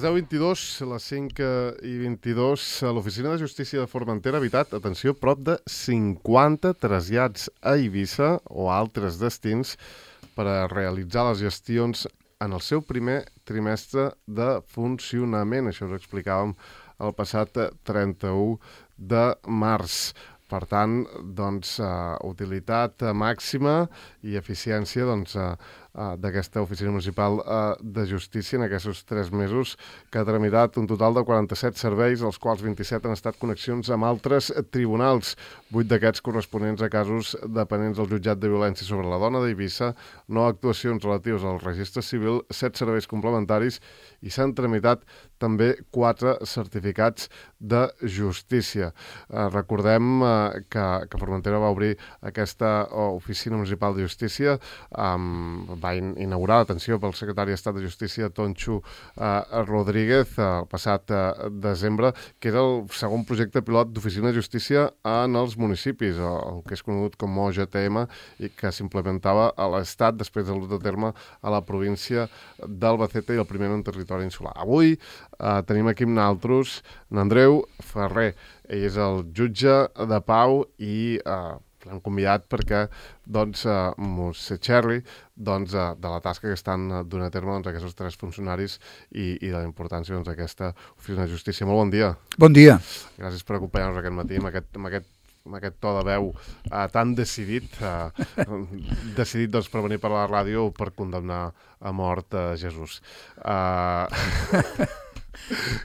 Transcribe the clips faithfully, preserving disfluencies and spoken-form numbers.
deu vint-i-dos, les cinc i vint-i-dos, l'Oficina de Justícia de Formentera ha evitat, atenció, prop de cinquanta trasllats a Eivissa o a altres destins per a realitzar les gestions en el seu primer trimestre de funcionament. Això us explicàvem el passat trenta-u de març. Per tant, doncs, uh, utilitat màxima i eficiència doncs, uh, uh, d'aquesta Oficina Municipal uh, de Justícia en aquests tres mesos, que ha tramitat un total de quaranta-set serveis, els quals vint-i-set han estat connexions amb altres tribunals, vuit d'aquests corresponents a casos dependents del Jutjat de Violència sobre la Dona d'Eivissa, nou actuacions relatives al registre civil, set serveis complementaris i s'han tramitat també quatre certificats de justícia. Uh, recordem uh, que, que Formentera va obrir aquesta Oficina Municipal de Justícia, um, va in inaugurar, atenció, pel secretari d'Estat de Justícia, Tonxo uh, Rodríguez, uh, el passat uh, desembre, que era el segon projecte pilot d'Oficina de Justícia en els municipis, el que és conegut com O G T M, i que s'implementava a l'Estat després de l'ús de terme a la província d'Albacete i el primer en territori insular. Avui uh, tenim aquí amb nosaltres n'Andreu Ferrer. Ell és el jutge de pau i uh, l'hem convidat perquè doncs, uh, mos xerri doncs, uh, de la tasca que estan uh, donant a terme doncs, aquests tres funcionaris i, i de la importància doncs, d'aquesta Oficina de Justícia. Molt bon dia. Bon dia. Gràcies per acompanyar-nos aquest matí amb aquest, amb aquest amb aquest to de veu uh, tan decidit, uh, decidit doncs, per venir per la ràdio per condemnar a mort a uh, Jesús. Uh...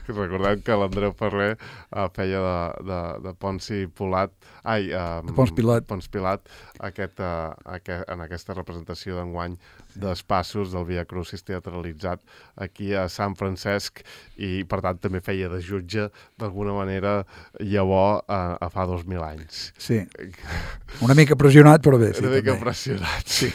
Recordem que l'Andreu Ferrer uh, feia de, de, de Ponci Pilat, ai, uh, de Pons Pilat, Pons Pilat aquest, uh, aquest, en aquesta representació d'enguany dels passos del Via Crucis teatralitzat aquí a Sant Francesc i, per tant, també feia de jutge d'alguna manera llavors uh, a fa dos mil anys. Sí, una mica pressionat, però bé. Sí, una mica també. pressionat, sí.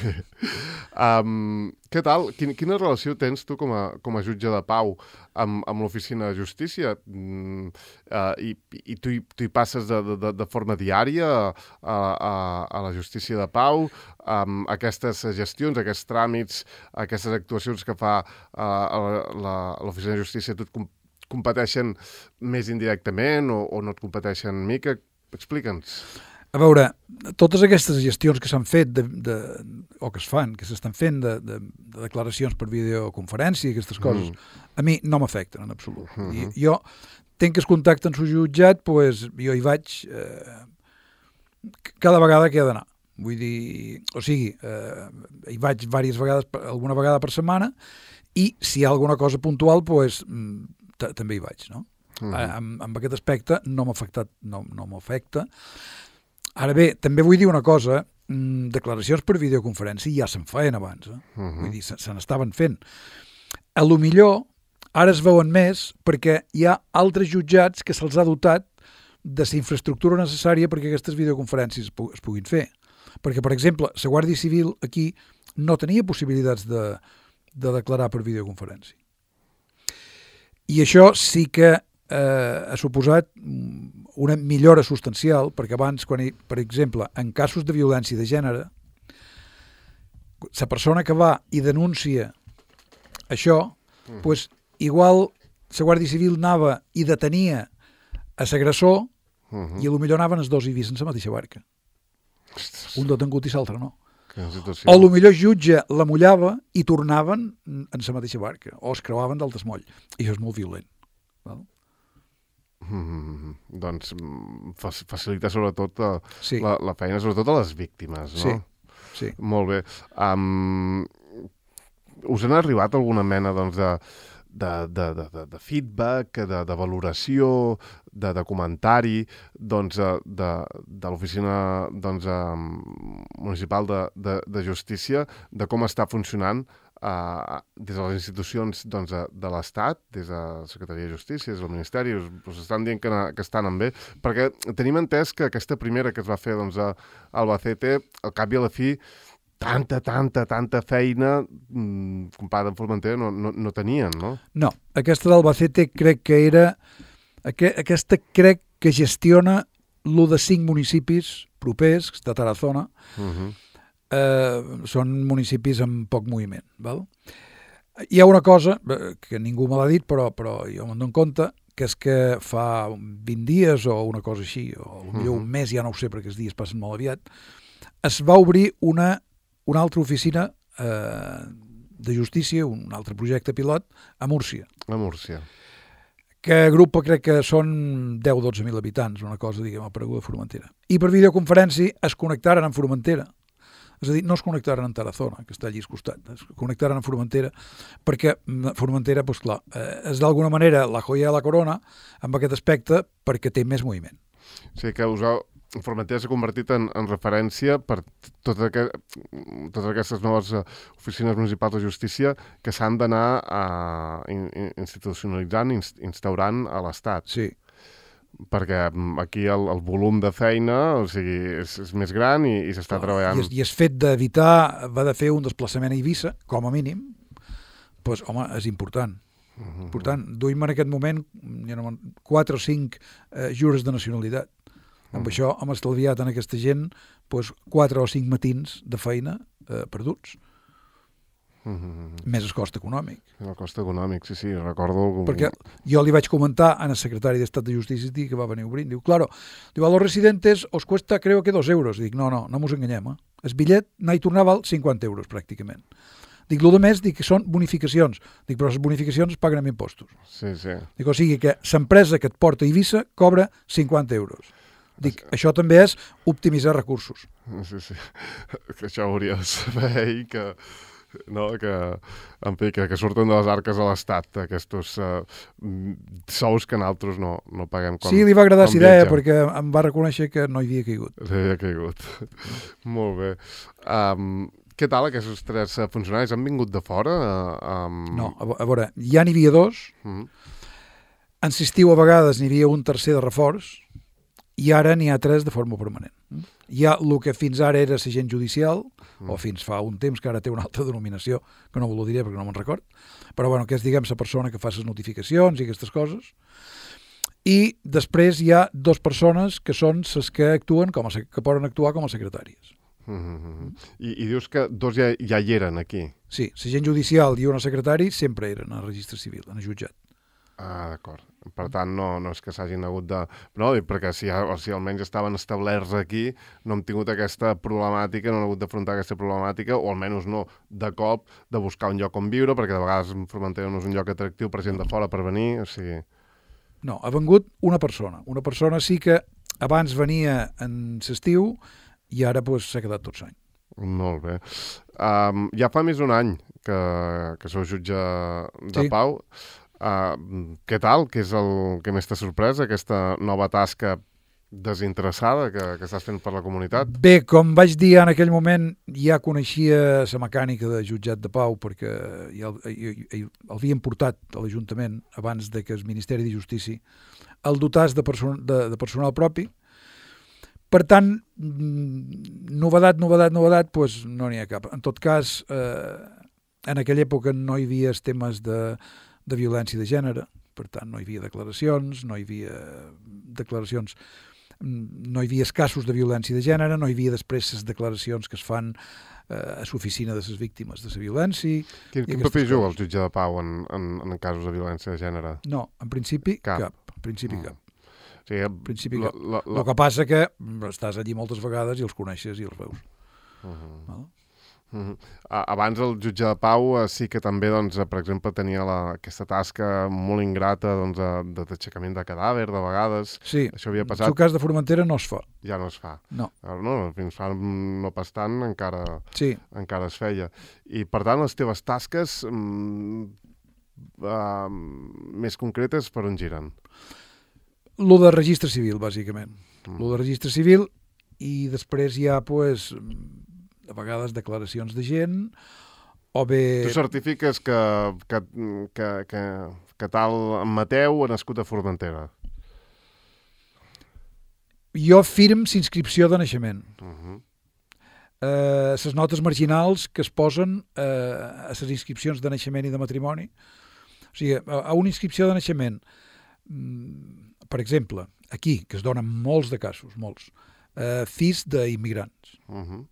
um, què tal? Quina, quina relació tens tu com a, com a jutge de pau amb, amb l'Oficina de Justícia? Mm, uh, i, i tu, hi, tu hi passes de, de, de forma diària a, a, a la justícia de pau, amb aquestes gestions, aquests tràmits, aquestes actuacions que fa uh, l'Oficina de Justícia, tu et com, competeixen més indirectament o, o no et competeixen mica? Explica'ns. A veure, totes aquestes gestions que s'han fet de, de, o que es fan, que s'estan fent de, de, de declaracions per videoconferència i aquestes coses, mm. a mi no m'afecten en absolut. Mm -hmm. I, jo tenc el contacte amb el jutjat, pues, jo hi vaig eh, cada vegada que he d'anar. Vull dir, o sigui, eh, hi vaig diverses vegades, alguna vegada per setmana, i si hi ha alguna cosa puntual, pues, també hi vaig, no? Mm -hmm. amb, amb aquest aspecte no m'ha afectat, no, no m'afecta. Ara bé, també vull dir una cosa, mmm, declaracions per videoconferència ja se'n feien abans, eh? Uh-huh. Vull dir, se, se n'estaven fent. A lo millor, ara es veuen més perquè hi ha altres jutjats que se'ls ha dotat de la infraestructura necessària perquè aquestes videoconferències es, pu es puguin fer. Perquè, per exemple, la Guàrdia Civil aquí no tenia possibilitats de, de declarar per videoconferència. I això sí que eh, ha suposat una millora substancial, perquè abans, quan hi, per exemple, en casos de violència de gènere, la persona que va i denuncia això, mm. pues, igual la Guàrdia Civil anava i detenia a l'agressor mm -hmm. i potser anaven els dos i vist en la mateixa barca. Ostres. Un detengut i l'altre no. O a lo millor el jutge la mullava i tornaven en la mateixa barca, o es creuaven d'altres moll. I això és molt violent. Val? Mm, doncs facilita sobretot uh, sí. la, la feina, sobretot a les víctimes, no? Sí, sí. Molt bé. Um, us han arribat alguna mena doncs, de, de, de, de, de feedback, de, de valoració, de, de comentari doncs, de, de l'Oficina doncs, Municipal de, de, de Justícia, de com està funcionant Uh, des de les institucions doncs, de, de l'Estat, des de la Secretaria de Justícia, des del Ministeri, us, us estan dient que, que estan en bé, perquè tenim entès que aquesta primera que es va fer doncs, a Albacete, al cap i a la fi, tanta, tanta, tanta feina mmm, comparada amb Formentera no, no, no tenien, no? No, aquesta d'Albacete crec que era... Aqu aquesta crec que gestiona l'u de cinc municipis propers de Tarazona, uh-huh. Eh, són municipis amb poc moviment. Val? Hi ha una cosa que ningú me l'ha dit, però, però jo me'n dono compte, que és que fa vint dies o una cosa així, o potser uh-huh. un mes, ja no ho sé perquè els dies passen molt aviat, es va obrir una, una altra oficina eh, de justícia, un altre projecte pilot, a Múrcia. A Múrcia. Que agrupa, crec que són deu o dotze mil habitants, una cosa, diguem, a Pareguda de Formentera. I per videoconferència es connectaren amb Formentera. És a dir, no es connectaren en Tarazona, que està allí al costat, es connectaren en Formentera, perquè Formentera, doncs clar, és d'alguna manera la joia de la corona amb aquest aspecte perquè té més moviment. O sigui que us heu, Formentera s'ha convertit en, en referència per totes, aquest, totes aquestes noves oficines municipals de justícia que s'han d'anar uh, institucionalitzant, inst, instaurant a l'Estat. Sí. Perquè aquí el, el volum de feina, o sigui, és, és més gran i, i s'està treballant. I, I és fet d'evitar, va de fer un desplaçament a Eivissa, com a mínim, doncs, home, és important. Uh-huh. Important. Duim en aquest moment ja no, quatre o cinc eh, jures de nacionalitat. Amb uh-huh. això hem estalviat en aquesta gent doncs, quatre o cinc matins de feina eh, perduts. Uh-huh. Més el cost econòmic. El cost econòmic, sí, sí, recordo... Perquè jo li vaig comentar al secretari d'Estat de Justícia que va venir obrint, diu, claro, diu, a los residentes os cuesta creo que dos euros. Dic, no, no, no mos enganyem, eh? El bitllet anar i tornar val cinquanta euros, pràcticament. Dic, el més, dic que són bonificacions. Dic, però les bonificacions es paguen amb impostos. Sí, sí. Dic, o sigui que l'empresa que et porta a Eivissa cobra cinquanta euros. Dic, sí. Això també és optimitzar recursos. Sí, sí. Que això hauria de saber i que... No, que, en fi, que, que surten de les arques a l'Estat, aquests uh, sous que nosaltres no, no paguem quan Sí, li va agradar la idea perquè em va reconèixer que no hi havia caigut. No hi havia caigut. Molt bé. Um, què tal aquests tres funcionaris? Han vingut de fora? Um... No, a, a veure, ja n'hi havia dos. Mm. En l'estiu a vegades n'hi havia un tercer de reforç i ara n'hi ha tres de forma permanent. Hi ha el que fins ara era l'agent judicial, mm. o fins fa un temps que ara té una altra denominació, que no ho diré perquè no me'n record, però bueno, que és, diguem, la persona que fa les notificacions i aquestes coses. I després hi ha dues persones que són les que actuen com a, que poden actuar com a secretàries. Mm-hmm. I, I dius que dos ja, ja hi eren aquí? Sí, l'agent judicial i una secretari sempre eren al registre civil, en el jutjat. Ah, d'acord. Per tant, no, no és que s'hagin hagut de... No, perquè si, o si almenys estaven establerts aquí, no hem tingut aquesta problemàtica, no han hagut d'afrontar aquesta problemàtica, o almenys no, de cop, de buscar un lloc on viure, perquè de vegades Formentera no és un lloc atractiu per gent de fora per venir, o sigui... No, ha vengut una persona. Una persona sí que abans venia en l'estiu i ara pues, s'ha quedat tot l'any. Molt bé. Um, ja fa més d'un any que, que sou jutge de sí. Pau. Uh, què tal? Què és el que més t'ha sorprès, aquesta nova tasca desinteressada que, que estàs fent per la comunitat? Bé, com vaig dir en aquell moment, ja coneixia la mecànica de jutjat de Pau perquè ja l'havien portat a l'Ajuntament abans de que el Ministeri de Justícia el dotàs de, person de, de personal propi. Per tant, novedat, novedat, novedat, doncs no n'hi ha cap. En tot cas, eh, en aquella època no hi havia els temes de de violència de gènere, per tant no hi havia declaracions, no hi havia declaracions, no hi havia casos de violència de gènere, no hi havia després les declaracions que es fan eh, a l'oficina de les víctimes de la violència. Quin, quin paper juga el jutge de Pau en, en, en casos de violència de gènere? No, en principi cap. cap. En principi mm. cap. Sí, en principi la, cap. La, la... El que passa que estàs allí moltes vegades i els coneixes i els veus. Uh-huh. Val? Uh-huh. Abans el jutge de Pau uh, sí que també, doncs, per exemple, tenia la, aquesta tasca molt ingrata doncs, de d'aixecament de cadàver, de vegades. Sí, això havia passat. El cas de Formentera no es fa. Ja no es fa. No. no fins fa no pas tant encara, sí. encara es feia. I, per tant, les teves tasques mm, uh, més concretes per on giren? Lo de registre civil, bàsicament. Mm. Lo de registre civil i després hi ha, pues, a vegades declaracions de gent, o bé... Tu certifiques que, que, que, que, que tal en Mateu ha nascut a Formentera? Jo firm l'inscripció de naixement. Uh-huh. eh, les notes marginals que es posen eh, a les inscripcions de naixement i de matrimoni. O sigui, a, a una inscripció de naixement, per exemple, aquí, que es donen molts de casos, molts, eh, fills d'immigrants, uh-huh.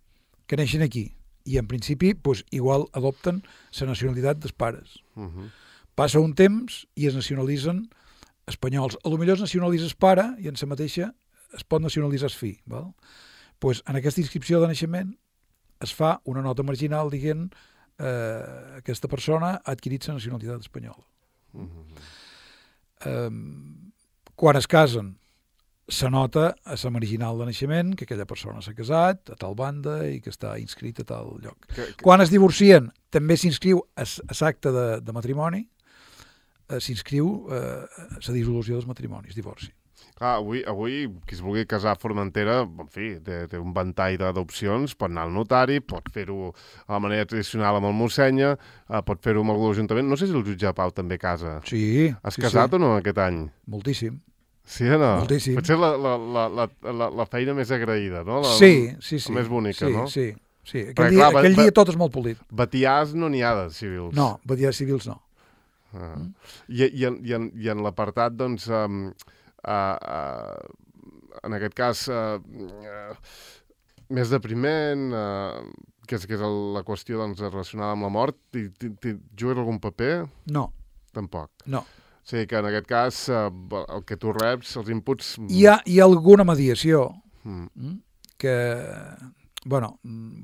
que neixen aquí, i en principi doncs, igual adopten la nacionalitat dels pares. Uh -huh. Passa un temps i es nacionalitzen espanyols. A lo millor es nacionalitza el pare i en la mateixa es pot nacionalitzar el fill. Val? Pues en aquesta inscripció de naixement es fa una nota marginal dient eh, aquesta persona ha adquirit la nacionalitat espanyola. Uh -huh. eh, quan es casen s'anota a la marginal de naixement que aquella persona s'ha casat a tal banda i que està inscrit a tal lloc. Que, que... Quan es divorcien també s'inscriu a l'acte de, de matrimoni, eh, s'inscriu eh, a la dissolució dels matrimonis, divorci. Clar, avui, avui qui es vulgui casar a Formentera, en fi, té, té un ventall d'opcions, pot anar al notari, pot fer-ho a la manera tradicional amb el mossenya, eh, pot fer-ho amb algú de l'Ajuntament. No sé si el jutge de Pau també casa. Sí. Has sí, casat sí. o no aquest any? Moltíssim. Sí o no? Moltíssim. Potser la, la, la, la, la, la feina més agraïda, no? La, sí, sí, sí. La més bonica, sí, no? Sí, sí. Aquell, Perquè, dia, clar, aquell va, dia tot és molt polit. Batiars no n'hi ha de civils. No, batiars civils no. Ah. Mm. I, i, en, i, en, i en l'apartat, doncs, um, uh, uh, en aquest cas, uh, uh, més depriment, uh, que és, que és el, la qüestió doncs, relacionada amb la mort, ti, ti, ti, jugues algun paper? No. Tampoc? No. O sigui que en aquest cas, uh, el que tu reps, els inputs... Hi ha, hi ha alguna mediació mm. que, bueno,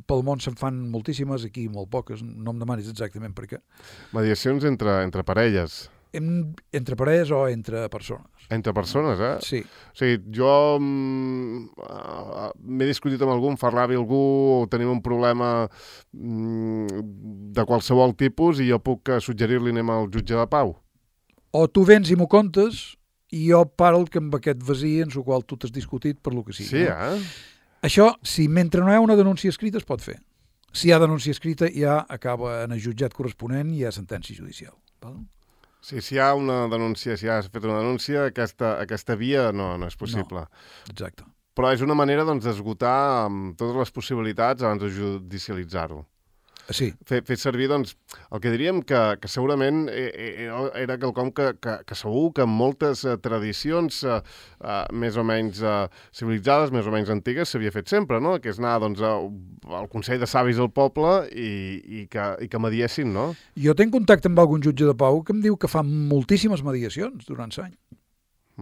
pel món se'n fan moltíssimes, aquí molt poques, no em demanis exactament per què. Mediacions entre, entre parelles? En, entre parelles o entre persones. Entre persones, eh? Sí. O sigui, jo mm, uh, m'he discutit amb algú, em fa ràbia algú, o tenim un problema mm, de qualsevol tipus i jo puc suggerir-li anem al jutge de Pau. O tu vens i m'ho contes i jo parlo que amb aquest vasí en el qual tu t'has discutit per lo que sigui. Sí, no? eh? Això, si mentre no hi ha una denúncia escrita, es pot fer. Si hi ha denúncia escrita, ja acaba en el jutjat corresponent i hi ha sentència judicial. Val? Sí, si hi ha una denúncia, si ha fet una denúncia, aquesta, aquesta via no, no és possible. No, exacte. Però és una manera doncs, d'esgotar um, totes les possibilitats abans de judicialitzar-ho. Sí. Fer, fer servir, doncs, el que diríem que, que segurament era quelcom que, que, que segur que en moltes uh, tradicions uh, uh, més o menys uh, civilitzades, més o menys antigues, s'havia fet sempre, no? Que és anar doncs, uh, al Consell de Savis del poble i, i, que, i que mediessin, no? Jo tenc contacte amb algun jutge de pau que em diu que fa moltíssimes mediacions durant l'any.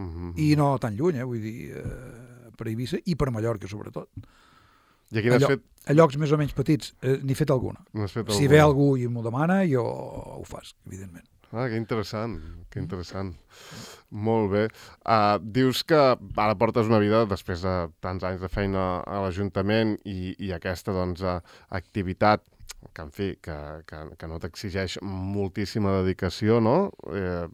Mm-hmm. I no tan lluny, eh? Vull dir, eh, per Eivissa i per Mallorca, sobretot. I aquí n'has fet... A llocs més o menys petits, eh, n'he fet alguna. Fet si alguna. ve algú i m'ho demana, jo ho fas, evidentment. Ah, que interessant, que interessant. Mm. Molt bé. Uh, dius que ara portes una vida, després de tants anys de feina a l'Ajuntament i, i aquesta doncs, uh, activitat que, en fi, que, que, que no t'exigeix moltíssima dedicació, no? Eh,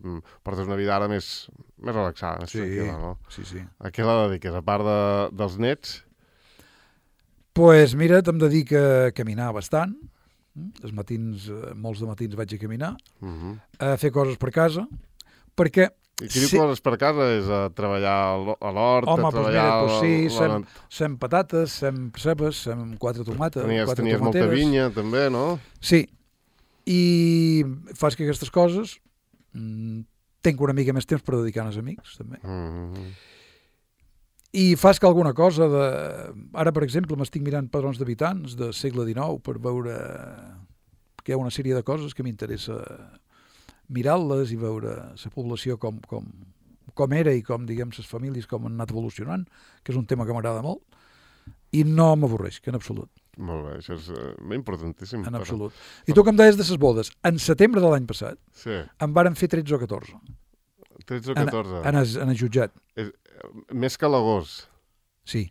portes una vida ara més, més relaxada, més sí, tranquil·la, no? Sí, sí. A què la dediques? A part de, dels nets? Pues mira, em dedico a caminar bastant. Els matins, molts de matins vaig a caminar, uh-huh. a fer coses per casa, perquè... I qui diu sí. coses per casa és a treballar a l'hort, Home, a treballar... Home, doncs mira, pues sí, sem, sem patates, sem cebes, sem quatre tomates, tenies, quatre tenies tomateres. Molta vinya, també, no? Sí, i fas que aquestes coses mm, tenc una mica més temps per dedicar als amics, també. Uh-huh. I fas que alguna cosa de... Ara, per exemple, m'estic mirant padrons d'habitants del segle dinou per veure que hi ha una sèrie de coses que m'interessa mirar-les i veure la població com, com, com era i com, diguem, les famílies com han anat evolucionant, que és un tema que m'agrada molt, i no m'avorreix, que en absolut. Molt bé, això és uh, importantíssim. En absolut. Però... I tu que em deies de les bodes, en setembre de l'any passat sí. en varen fer tretze o catorze. tretze o catorze? En, en, el, en el jutjat. És, més que l'agost. Sí,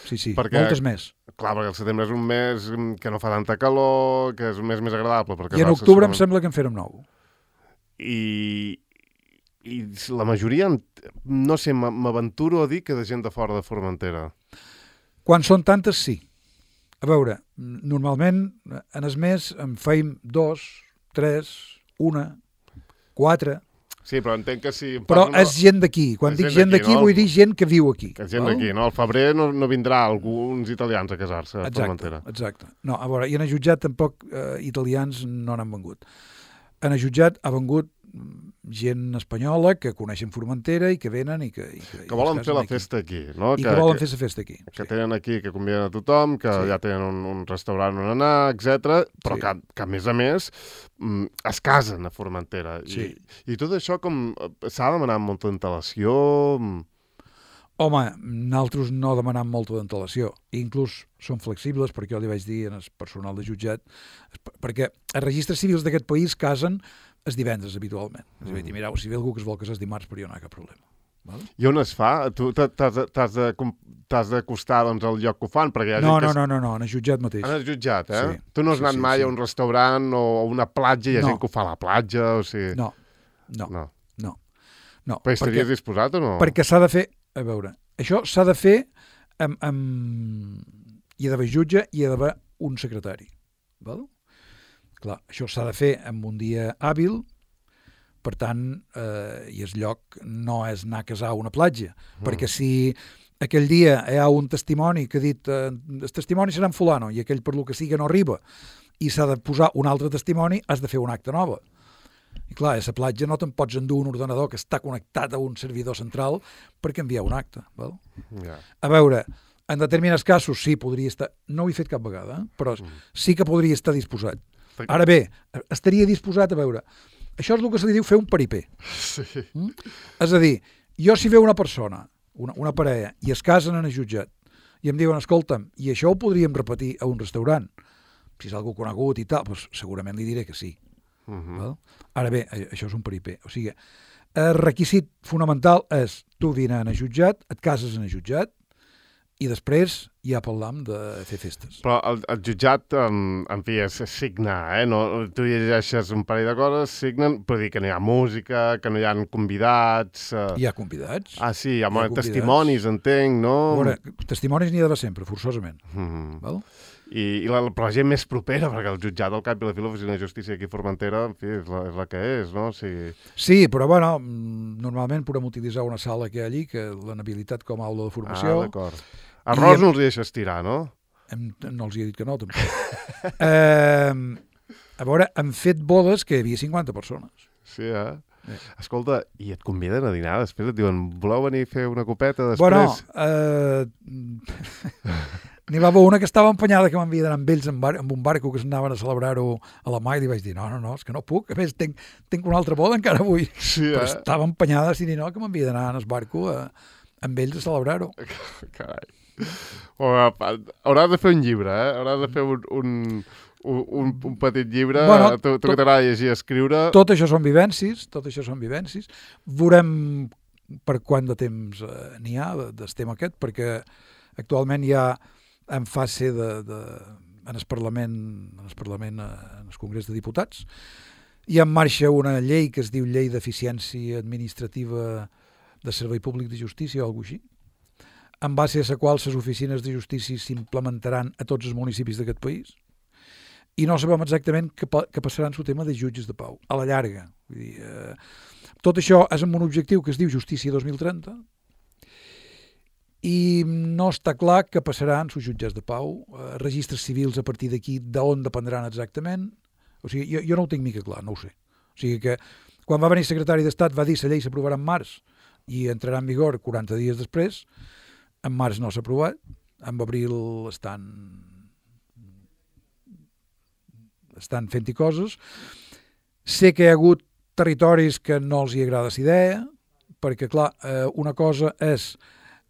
sí, sí, perquè, moltes més. Clar, perquè el setembre és un mes que no fa tanta calor, que és un mes més agradable. I en octubre em sembla que en fèrem nou. I, i la majoria, no sé, m'aventuro a dir que de gent de fora de Formentera. Quan són tantes, sí. A veure, normalment en el mes en feim dos, tres, una, quatre... Sí, però entenc que si... Però no... és gent d'aquí. Quan dic gent d'aquí, no? Vull dir gent que viu aquí. Que és gent d'aquí, no? Al febrer no, no vindrà alguns italians a casar-se a Formentera. Exacte, exacte. No, a veure, i en el jutjat tampoc eh, italians no n'han vengut. en el jutjat ha vengut gent espanyola que coneixen Formentera i que venen i que... I que, que volen i fer la aquí. festa aquí, no? I que, que volen que, fer la festa aquí. Que sí. tenen aquí, que conviden a tothom, que sí. ja tenen un, un restaurant on anar, etcètera, però sí. que, que, a més a més, es casen a Formentera. Sí. I, I tot això com s'ha demanat amb molta antelació... Home, nosaltres no demanam molta d'antelació. Inclús són flexibles, perquè jo li vaig dir al personal de jutjat, perquè els registres civils d'aquest país casen els divendres habitualment. Mm. És a dir, mireu, si ve algú que es vol casar els dimarts, però jo no hi ha cap problema. Vale? I on es fa? Tu t'has d'acostar doncs, al lloc que ho fan? Perquè hi ha no, gent no, que... no, no, no, en el jutjat mateix. En el jutjat, eh? Sí. Tu no has sí, anat sí, mai sí. a un restaurant o a una platja i hi ha no. gent que ho fa a la platja? O sigui... No, no, no. no. no. Però estaries perquè, disposat o no? Perquè s'ha de fer... A veure, això s'ha de fer amb... amb... Hi ha d'haver jutge i hi ha d'haver un secretari. Val? Clar, això s'ha de fer en un dia hàbil, per tant, eh, i el lloc no és anar a casar a una platja, mm. perquè si aquell dia hi ha un testimoni que ha dit eh, el testimoni serà en fulano i aquell per lo que sigui no arriba i s'ha de posar un altre testimoni, has de fer un acte nova. I clar, a la platja no te'n pots endur un ordenador que està connectat a un servidor central per canviar un acte. Val? Yeah. A veure, en determinats casos sí, podria estar... No ho he fet cap vegada, eh? Però mm. sí que podria estar disposat. Ara bé, estaria disposat a veure... Això és el que se li diu fer un paripé. Sí. Mm? És a dir, jo si veu una persona, una, una parella, i es casen en el jutjat, i em diuen, escolta'm, i això ho podríem repetir a un restaurant, si és algú conegut i tal, doncs segurament li diré que sí. Uh -huh. Val? Ara bé, això és un paripé. O sigui, el requisit fonamental és tu vine en el jutjat, et cases en el jutjat, i després ja parlam de fer festes. Però el, el jutjat, en, en fi, és signar, eh? No, tu llegeixes un parell de coses, signen, però dir que no hi ha música, que no hi ha convidats... Eh... Hi ha convidats. Ah, sí, hi ha, hi ha testimonis, entenc, no? Veure, testimonis n'hi ha d'haver sempre, forçosament. Mm. Val? I, i la, però la gent més propera, perquè el jutjat al cap i la fi, l'oficina de justícia aquí a Formentera, en fi, és la, és la que és, no? O sigui... Sí, però bueno, normalment podem utilitzar una sala que hi ha allí, que l'anabilitat com a aula de formació. Ah, d'acord. Arròs no els hi deixes tirar, no? Hem, no els hi he dit que no, tampoc. eh, a veure, hem fet bodes que hi havia cinquanta persones. Sí, eh? Eh. Escolta, i et conviden a dinar? Després et diuen, voleu venir a fer una copeta després? Bueno, eh, n'hi va haver una que estava empenyada que m'havia d'anar amb ells en, bar, amb un barco que s'anaven a celebrar-ho a la mà i li vaig dir, no, no, no, és que no puc, a més tinc, tinc una altra boda encara avui. Sí, eh? Però estava empenyada, si dir no, que m'havia d'anar en el barco a, amb ells a celebrar-ho. Carai. Hauràs de fer un llibre, eh? Hauràs de fer un, un, un, un petit llibre. Bueno, tu tu que t'agrada llegir i escriure. Tot això són vivències, tot això són vivències. Veurem per quant de temps eh, n'hi ha del tema aquest, perquè actualment hi ha en fase de, de, en el Parlament, en el Parlament, en el Congrés de Diputats, hi ha en marxa una llei que es diu Llei d'Eficiència Administrativa de Servei Públic de Justícia o alguna cosa així, en base a la qual les oficines de justícia s'implementaran a tots els municipis d'aquest país i no sabem exactament què, pa, què passarà en el tema de jutges de pau, a la llarga. Vull dir, eh, tot això és amb un objectiu que es diu Justícia dos mil trenta i no està clar què passarà en els jutjats de pau, eh, registres civils a partir d'aquí, d'on dependran exactament. O sigui, jo, jo no ho tinc mica clar, no ho sé. O sigui que quan va venir el secretari d'Estat va dir que la llei s'aprovarà en març i entrarà en vigor quaranta dies després. En març no s'ha aprovat, en abril estan estan fent-hi coses. Sé que hi ha hagut territoris que no els hi agrada la idea, perquè, clar, eh, una cosa és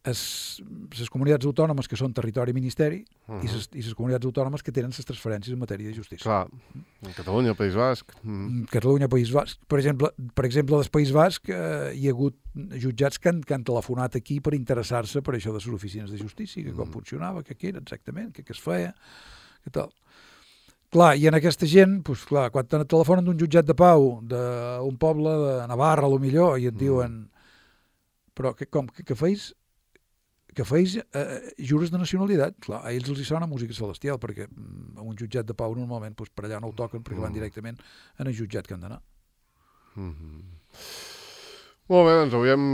les comunitats autònomes que són territori ministeri uh -huh. i les comunitats autònomes que tenen les transferències en matèria de justícia. Clar, Catalunya, el País Basc. Uh -huh. Catalunya, País Basc. Per exemple, per exemple, del País Basc eh, hi ha hagut jutjats que han, que han telefonat aquí per interessar-se per això de les oficines de justícia, que com uh -huh. funcionava, que què era exactament, que què es feia, que tal. Clar, i en aquesta gent, doncs, clar, quan te telefonen d'un jutjat de pau d'un poble de Navarra, a lo millor, i et uh -huh. diuen, però que, com, que, que feis que feis eh, jures de nacionalitat. Clar, a ells els hi sona música celestial, perquè a un jutjat de pau normalment doncs, per allà no ho toquen, perquè van directament en el jutjat que han d'anar. Mm-hmm. Molt bé, doncs avui hem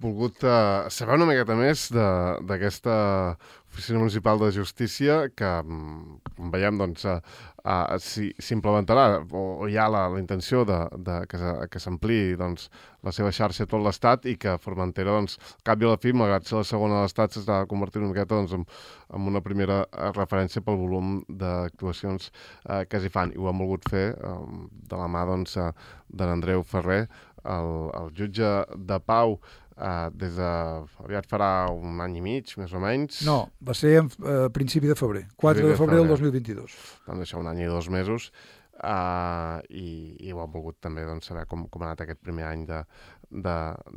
volgut uh, saber una miqueta més d'aquesta Oficina Municipal de Justícia que, com veiem, doncs, uh, uh, s'implementarà o, o hi ha la, la intenció de, de que s'ampliï doncs, la seva xarxa a tot l'Estat i que Formentera, doncs, al cap i a la fi, malgrat ser la segona de l'Estat, s'està convertint una miqueta doncs, en, en una primera referència pel volum d'actuacions uh, que s'hi fan. I ho hem volgut fer um, de la mà doncs, uh, d'en Andreu Ferrer, el, el jutge de pau, eh, des de... aviat farà un any i mig, més o menys. No, va ser a eh, principi de febrer, quatre de febrer del dos mil vint-i-dos. Doncs això, un any i dos mesos, eh, i, i ho hem volgut també doncs, saber com, com ha anat aquest primer any de, de,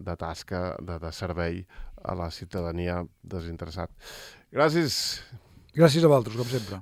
de tasca, de, de servei a la ciutadania desinteressat. Gràcies. Gràcies a vosaltres, com sempre.